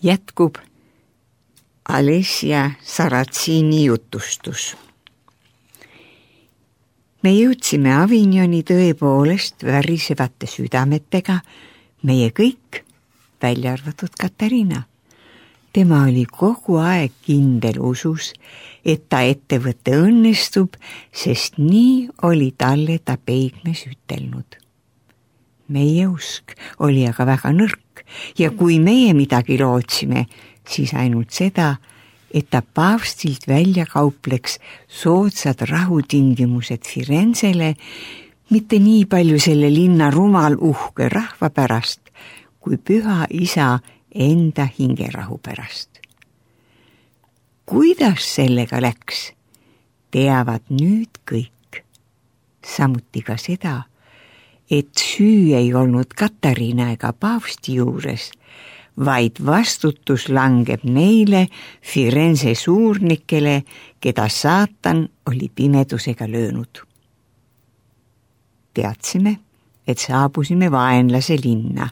Jätkub Alessia Saratsiini jutustus. Me jõudsime Avignoni tõepoolest värisevate südametega, meie kõik, välja arvatud Katariina. Tema oli kogu aeg kindel usus, et ta ettevõte õnnestub, sest nii oli talle ta peigmes ütelnud. Meie usk oli aga väga nõrk ja kui meie midagi lootsime, siis ainult seda, et ta paavstilt välja kaupleks soodsad rahutingimused Firenzele, mitte nii palju selle linna rumal uhke rahva pärast, kui püha isa enda hingerahu pärast. Kuidas sellega läks, teavad nüüd kõik. Samuti ka seda, et süü ei olnud Katariina ega paavsti juures, vaid vastutus langeb neile Firenze suurnikele, keda saatan oli pimedusega löönud. Teadsime, et saabusime vaenlase linna.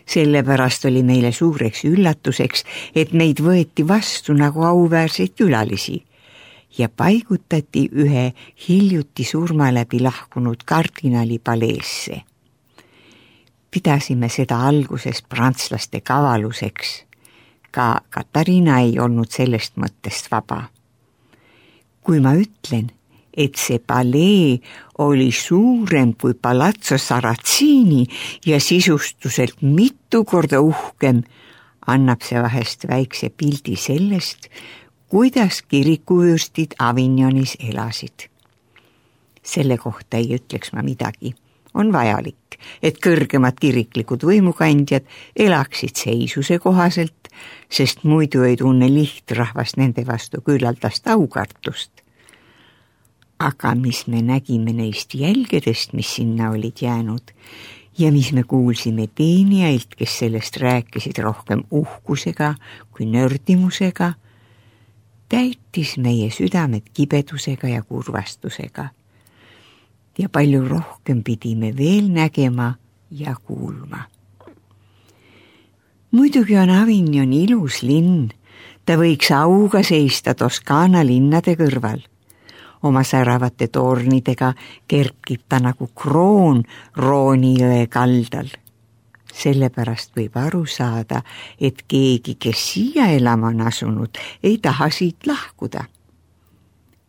Sellepärast oli meile suureks üllatuseks, et meid võeti vastu nagu auväärseid külalisi ja paigutati ühe hiljuti surma läbi lahkunud kardinali paleesse. Pidasime seda alguses prantslaste kavaluseks. Ka Katariina ei olnud sellest mõttest vaba. Kui ma ütlen, et see palee oli suurem kui Palazzo Saratsiini ja sisustuselt mitu korda uhkem, annab see vahest väikse pildi sellest, kuidas kirikuvürstid Avignonis elasid. Selle kohta ei ütleks ma midagi. On vajalik, et kõrgemad kiriklikud võimukandjad elaksid seisuse kohaselt, sest muidu ei tunne lihtrahvas nende vastu küllaldast aukartust. Aga mis me nägime neist jälgedest, mis sinna olid jäänud, ja mis me kuulsime teenijailt, kes sellest rääkisid rohkem uhkusega kui nördimusega, täitis meie südamed kibedusega ja kurvastusega. Ja palju rohkem pidime veel nägema ja kuulma. Muidugi on Avignon ilus linn, ta võiks auga seista Toskaana linnade kõrval. Oma säravate tornidega kerkib ta nagu kroon Rooni jõe kaldal. Sellepärast võib aru saada, et keegi, kes siia elama on asunud, ei taha siit lahkuda.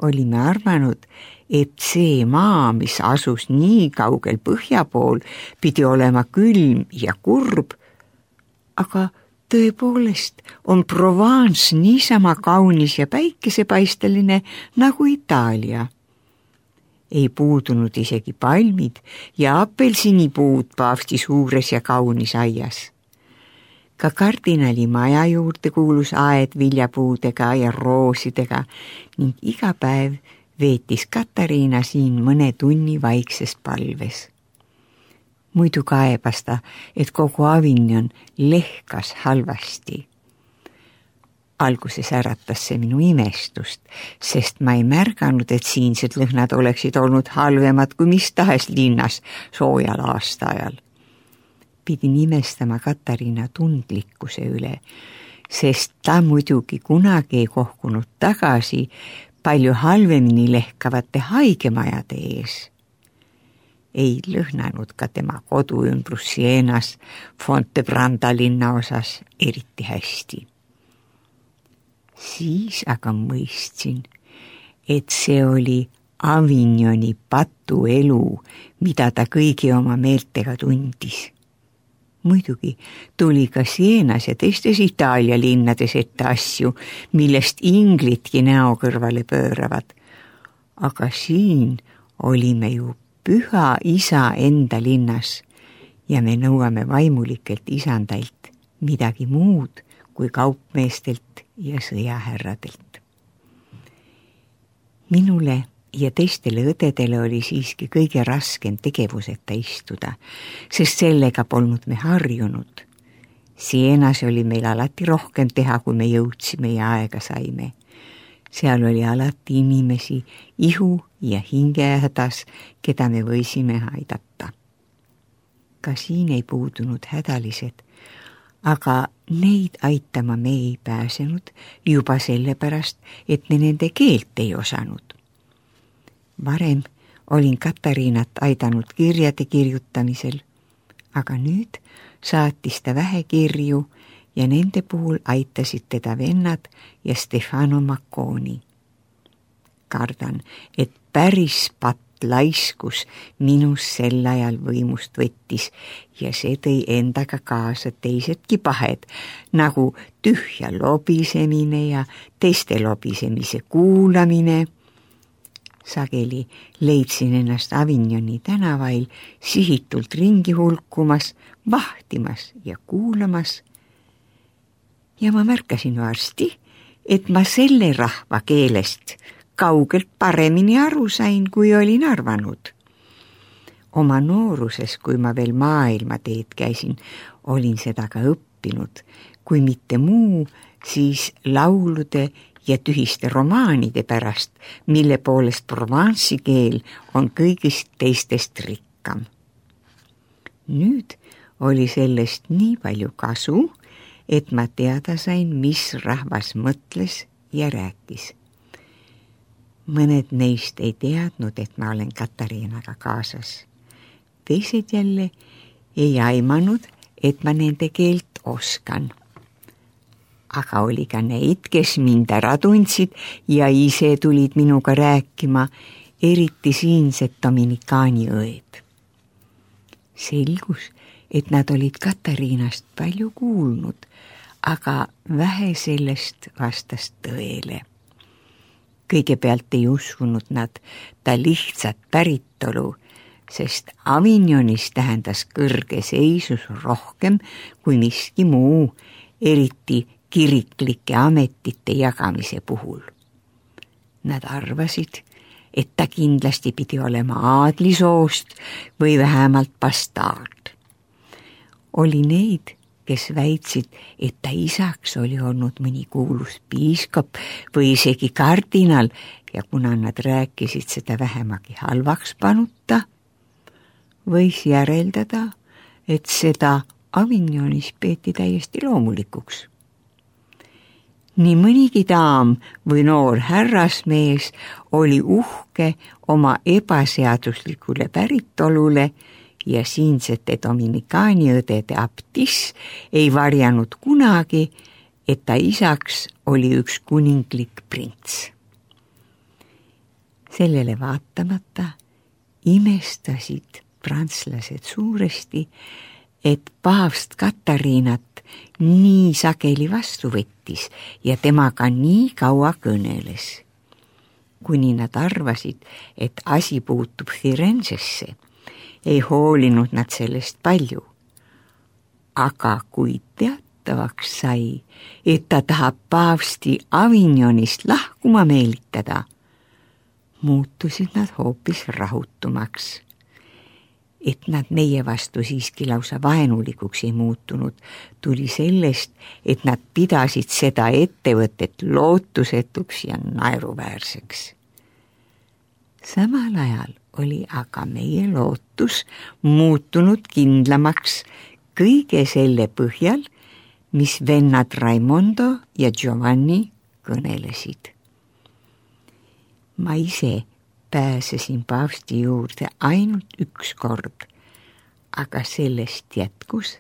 Olime arvanud, et see maa, mis asus nii kaugel põhja pool, pidi olema külm ja kurb, aga tõepoolest on Provence niisama kaunis ja päikesepaisteline nagu Itaalia. Ei puudunud isegi palmid ja apelsinipuud paavsti suures ja kaunis aias. Ka kardinali maja juurde kuulus aed viljapuudega ja roosidega ning iga päev veetis Katariina siin mõne tunni vaikses palves. Muidu kaebas ta, et kogu Avignon lehkas halvasti. Alguses äratas see minu imestust, sest ma ei märganud, et siinsed lõhnad oleksid olnud halvemad kui mis tahes linnas soojal aastaajal. Pidin imestama Katariina tundlikkuse üle, sest ta muidugi kunagi ei kohkunud tagasi palju halvemini lehkavate haigemajade ees. Ei lõhnanud ka tema kodu ümbrus Sienas Fontebranda linnaosas eriti hästi. Siis aga mõistsin, et see oli Avignoni patuelu, mida ta kõigi oma meeltega tundis. Muidugi tuli ka Sienas ja teistes Itaalia linnades ette asju, millest inglitki näo kõrvale pööravad. Aga siin olime ju püha isa enda linnas ja me nõuame vaimulikelt isandailt midagi muud kui kaupmeestelt ja sõjahärradelt. Minule ja teistele õdedele oli siiski kõige raskem tegevuseta istuda, sest sellega polnud me harjunud. Sienas oli meil alati rohkem teha, kui me jõudsime ja aega saime. Seal oli alati inimesi ihu ja hingehädas, keda me võisime aidata. Ka siin ei puudunud hädalised, aga neid aitama me ei pääsenud juba sellepärast, et me nende keelt ei osanud. Varem olin Katariinat aidanud kirjade kirjutamisel, aga nüüd saatis ta vähe kirju ja nende puhul aitasid teda vennad ja Stefano Macconi. Kardan, et päris laiskus minus sel ajal võimust võttis ja see tõi endaga kaasa teisedki pahed, nagu tühja lobisemine ja teiste lobisemise kuulamine. Sageli leidsin ennast Avignoni tänavail sihitult ringi hulkumas, vahtimas ja kuulamas. Ja ma märkasin varsti, et ma selle rahva keelest kaugelt paremini aru sain, kui olin arvanud. Oma nooruses, kui ma veel maailmateed käisin, olin seda ka õppinud, kui mitte muu, siis laulude ja tühiste romaanide pärast, mille poolest Provence'i keel on kõigist teistest rikkam. Nüüd oli sellest nii palju kasu, et ma teada sain, mis rahvas mõtles ja rääkis. Mõned neist ei teadnud, et ma olen Katariinaga kaasas. Teised jälle ei aimanud, et ma nende keelt oskan. Aga oli ka neid, kes mind ära tundsid ja ise tulid minuga rääkima, eriti siinsed Dominikaani õed. Selgus, et nad olid Katariinast palju kuulnud, aga vähe sellest vastas tõele. Kõigepealt ei uskunud nad ta lihtsat päritolu, sest Avignonis tähendas kõrge seisus rohkem kui miski muu, eriti kiriklike ametite jagamise puhul. Nad arvasid, et ta kindlasti pidi olema aadlisoost või vähemalt bastaard. Oli neid, kes väitsid, et ta isaks oli olnud mõni kuulus piiskop või isegi kardinal ja kuna nad rääkisid seda vähemagi halvaks panuta, võis järeldada, et seda Avignonis peeti täiesti loomulikuks. Nii mõnigi daam või noor härrasmees oli uhke oma ebaseaduslikule päritolule ja siinsete Dominikaani õdede abtiss ei varjanud kunagi, et ta isaks oli üks kuninglik prints. Sellele vaatamata imestasid prantslased suuresti, et paavst Katariinat nii sageli vastu võttis ja temaga nii kaua kõneles. Kuni nad arvasid, et asi puutub Firenzesse, ei hoolinud nad sellest palju. Aga kui teatavaks sai, et ta tahab paavsti Avignonist lahkuma meelitada, muutusid nad hoopis rahutumaks. Et nad meie vastu siiski lausa vaenulikuks ei muutunud, tuli sellest, et nad pidasid seda ettevõtet lootusetuks ja naeruväärseks. Samal ajal oli aga meie lootus muutunud kindlamaks kõige selle põhjal, mis vennad Raimondo ja Giovanni kõnelesid. Ma ise pääsesin paavsti juurde ainult üks kord, aga sellest jätkus,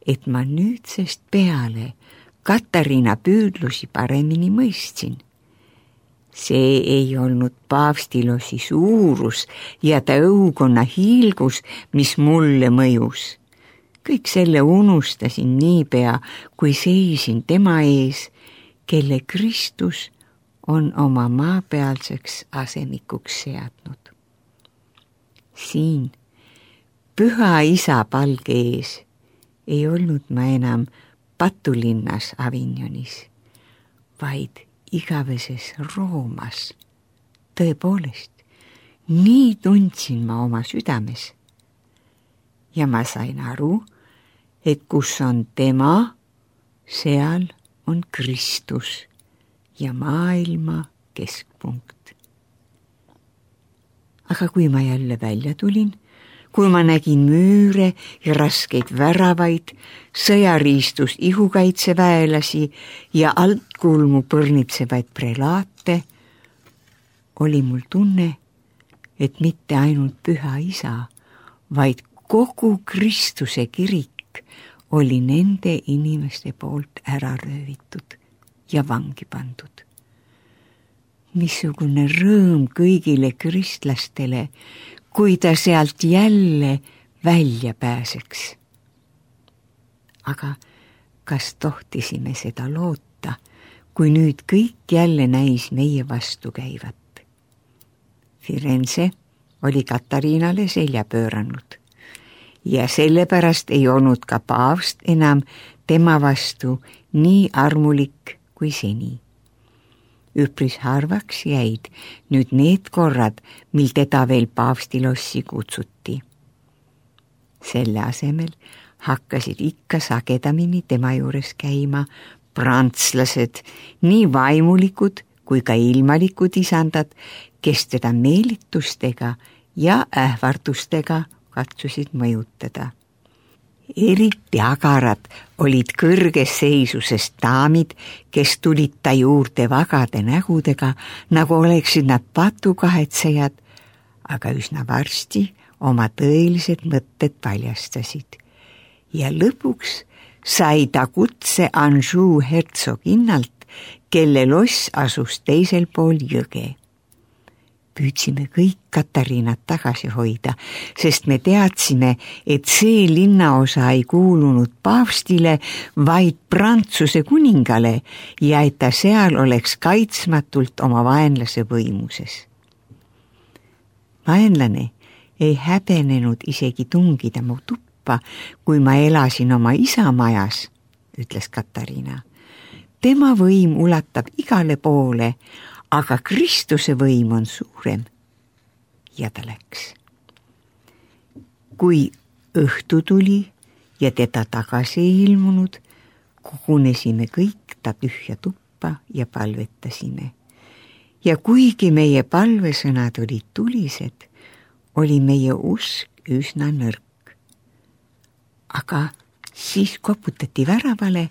et ma nüüdsest peale Katariina püüdlusi paremini mõistsin. See ei olnud paavstilosi suurus ja ta õukonna hiilgus, mis mulle mõjus. Kõik selle unustasin niipea, kui seisin tema ees, kelle Kristus on oma maapealseks asemikuks seadnud. Siin, püha isa palge ees, ei olnud ma enam patulinnas Avignonis, vaid igaveses Roomas. Tõepoolest, nii tundsin ma oma südames. Ja ma sain aru, et kus on tema, seal on Kristus ja maailma keskpunkt. Aga kui ma jälle välja tulin, kui ma nägin müüre ja raskeid väravaid, sõjariistus ihukaitseväelasi ja altkulmu põrnitsevaid prelaate, oli mul tunne, et mitte ainult Püha Isa, vaid kogu Kristuse kirik oli nende inimeste poolt ära röövitud ja vangi pandud. Missugune rõõm kõigile kristlastele, kui ta sealt jälle välja pääseks. Aga kas tohtisime seda loota, kui nüüd kõik jälle näis meie vastu käivat? Firenze oli Katariinale selja pööranud ja sellepärast ei olnud ka paavst enam tema vastu nii armulik kui seni. Üpris harvaks jäid nüüd need korrad, mil teda veel paavstilossi kutsuti. Selle asemel hakkasid ikka sagedamini tema juures käima prantslased, nii vaimulikud kui ka ilmalikud isandad, kes teda meelitustega ja ähvardustega katsusid mõjutada. Eriti agarad olid kõrges seisuses daamid, kes tulid ta juurde vagade nägudega, nagu oleksid nad patukahetsejad, aga üsna varsti oma tõelised mõtted paljastasid. Ja lõpuks sai ta kutse Anjou hertsoginnalt, kelle loss asus teisel pool jõge. Püüdsime kõik Katariinat tagasi hoida, sest me teadsime, et see linnaosa ei kuulunud paavstile, vaid Prantsuse kuningale ja et ta seal oleks kaitsmatult oma vaenlase võimuses. Vaenlane ei häbenenud isegi tungida mu tuppa, kui ma elasin oma isa majas, ütles Katariina. Tema võim ulatab igale poole, aga Kristuse võim on suurem. Ja ta läks. Kui õhtu tuli ja teda tagasi ei ilmunud, kogunesime kõik ta tühja tuppa ja palvetasime. Ja kuigi meie palvesõnad olid tulised, oli meie usk üsna nõrk. Aga siis koputati väravale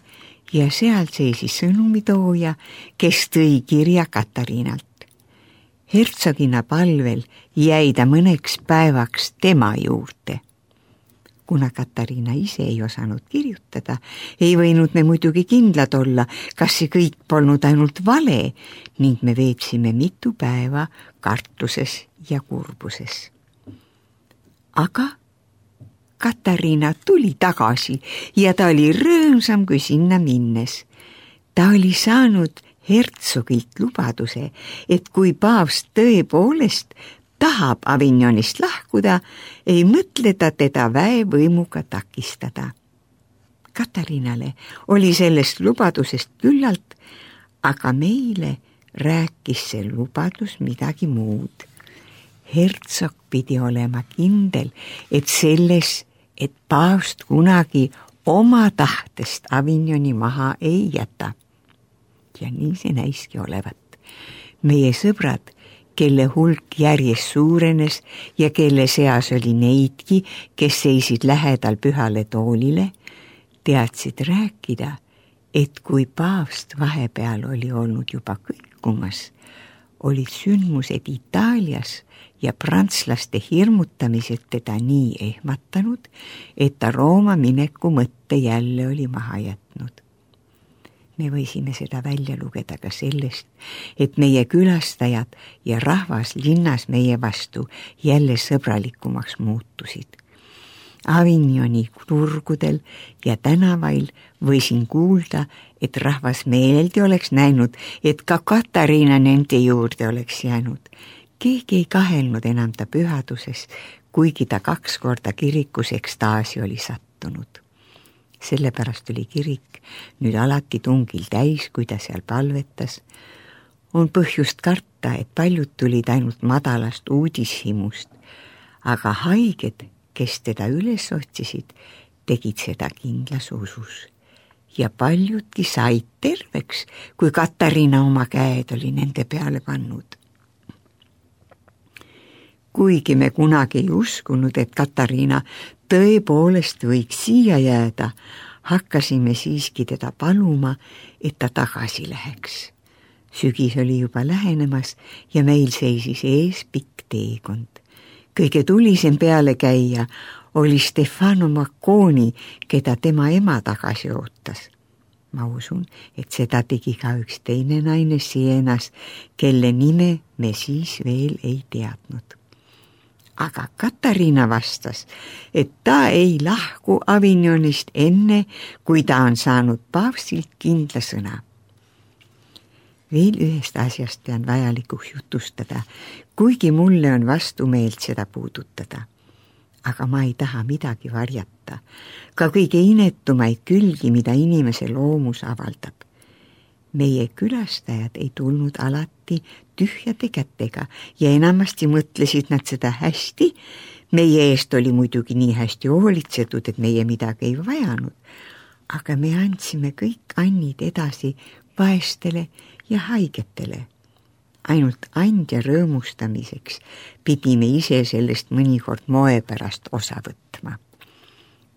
ja seal seisis sõnumitooja, kes tõi kirja Katariinalt. Hertsogina palvel jäi ta mõneks päevaks tema juurde. Kuna Katariina ise ei osanud kirjutada, ei võinud me muidugi kindlad olla, kas see kõik polnud ainult vale ning me veetsime mitu päeva kartuses ja kurbuses. Aga Katariina tuli tagasi ja ta oli rõõmsam kui sinna minnes. Ta oli saanud hertsogilt lubaduse, et kui paavst tõepoolest tahab Avignonist lahkuda, ei mõtle ta teda väevõimuga takistada. Katariinale oli sellest lubadusest küllalt, aga meile rääkis see lubadus midagi muud. Hertsog pidi olema kindel, et paavst kunagi oma tahtest Avignoni maha ei jäta. Ja nii see näiski olevat. Meie sõbrad, kelle hulk järjest suurenes ja kelle seas oli neidki, kes seisid lähedal pühale toolile, teadsid rääkida, et kui paavst vahepeal oli olnud juba kõikumas, olid sündmused Itaalias ja prantslaste hirmutamised teda nii ehmatanud, et ta Rooma mineku mõtte jälle oli maha jätnud. Me võisime seda välja lugeda ka sellest, et meie külastajad ja rahvas linnas meie vastu jälle sõbralikumaks muutusid. Avignoni turgudel ja tänavail võisin kuulda, et rahvas meeleldi oleks näinud, et ka Katariina nende juurde oleks jäänud. Keegi ei kahelnud enam ta pühaduses, kuigi ta 2 korda kirikus ekstaasi oli sattunud. Sellepärast oli kirik nüüd alati tungil täis, kui ta seal palvetas. On põhjust karta, et paljud tulid ainult madalast uudishimust, aga haiged, kes teda üles otsisid, tegid seda kindlas usus. Ja paljudki said terveks, kui Katariina oma käed oli nende peale pannud. Kuigi me kunagi ei uskunud, et Katariina tõepoolest võiks siia jääda, hakkasime siiski teda paluma, et ta tagasi läheks. Sügis oli juba lähenemas ja meil seisis ees pikk teekond. Kõige tulisem peale käia oli Stefano Macconi, keda tema ema tagasi ootas. Ma usun, et seda tegi ka üks teine naine Sienas, kelle nime me siis veel ei teadnud. Aga Katariina vastas, et ta ei lahku Avignonist enne, kui ta on saanud paavstilt kindla sõna. Veel ühest asjast pean vajalikuks jutustada, kuigi mulle on vastumeelt seda puudutada. Aga ma ei taha midagi varjata, ka kõige inetumaid külgi, mida inimese loomus avaldab. Meie külastajad ei tulnud alati tühjade kätega ja enamasti mõtlesid nad seda hästi. Meie eest oli muidugi nii hästi hoolitsetud, et meie midagi ei vajanud, aga me andsime kõik annid edasi vaestele ja haigetele. Ainult andja rõõmustamiseks pidime ise sellest mõnikord moe pärast osa võtma.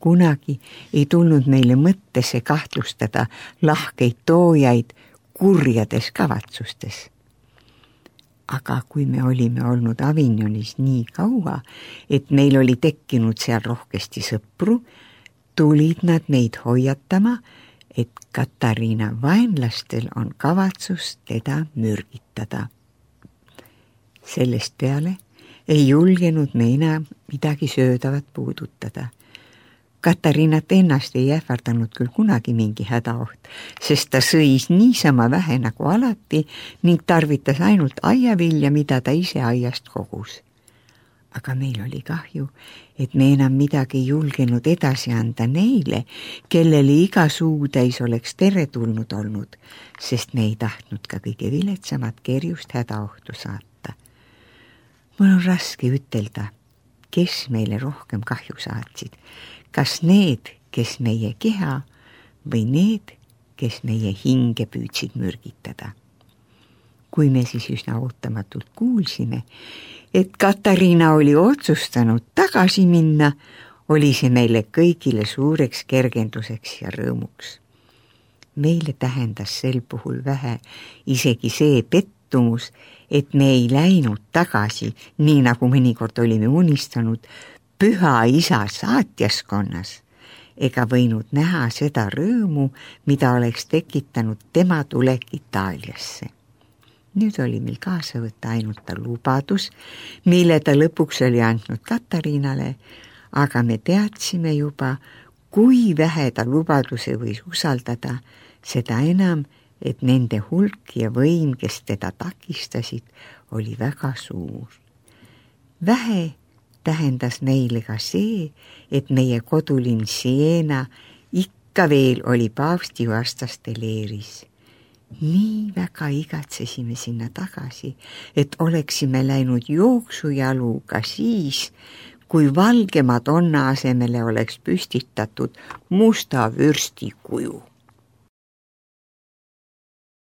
Kunagi ei tulnud meile mõttesse kahtlustada lahkeid toojaid kurjades kavatsustes. Aga kui me olime olnud Avignonis nii kaua, et meil oli tekkinud seal rohkesti sõpru, tulid nad meid hoiatama, et Katariina vaenlastel on kavatsus teda mürgitada. Sellest peale ei julgenud me enam midagi söödavat puudutada. Katariinat ennast ei ähvardanud küll kunagi mingi hädaoht, sest ta sõis niisama vähe nagu alati ning tarvitas ainult aiavilja, mida ta ise aiast kogus. Aga meil oli kahju, et me enam midagi ei julgenud edasi anda neile, kellele iga suutäis oleks teretulnud olnud, sest me ei tahtnud ka kõige viletsamat kerjust hädaohtu saata. Mul on raske ütelda, kes meile rohkem kahju saatsid, kas need, kes meie keha või need, kes meie hinge püüdsid mürgitada. Kui me siis üsna ootamatult kuulsime, et Katariina oli otsustanud tagasi minna, oli see meile kõigile suureks kergenduseks ja rõõmuks. Meile tähendas sel puhul vähe isegi see pettumus, et me ei läinud tagasi, nii nagu mõnikord olime unistanud, Püha Isa saatjaskonnas, ega võinud näha seda rõõmu, mida oleks tekitanud tema tulek Itaaliasse. Nüüd oli meil kaasa võtta ainult ta lubadus, mille ta lõpuks oli andnud Katariinale, aga me teadsime juba, kui vähe ta lubaduse võis usaldada, seda enam, et nende hulk ja võim, kes teda takistasid, oli väga suur. Vähe tähendas meile ka see, et meie kodulinn Siena ikka veel oli paavsti vastaste leeris. Nii väga igatsesime sinna tagasi, et oleksime läinud jooksujalu ka siis, kui valge Madonna asemele oleks püstitatud musta vürsti kuju.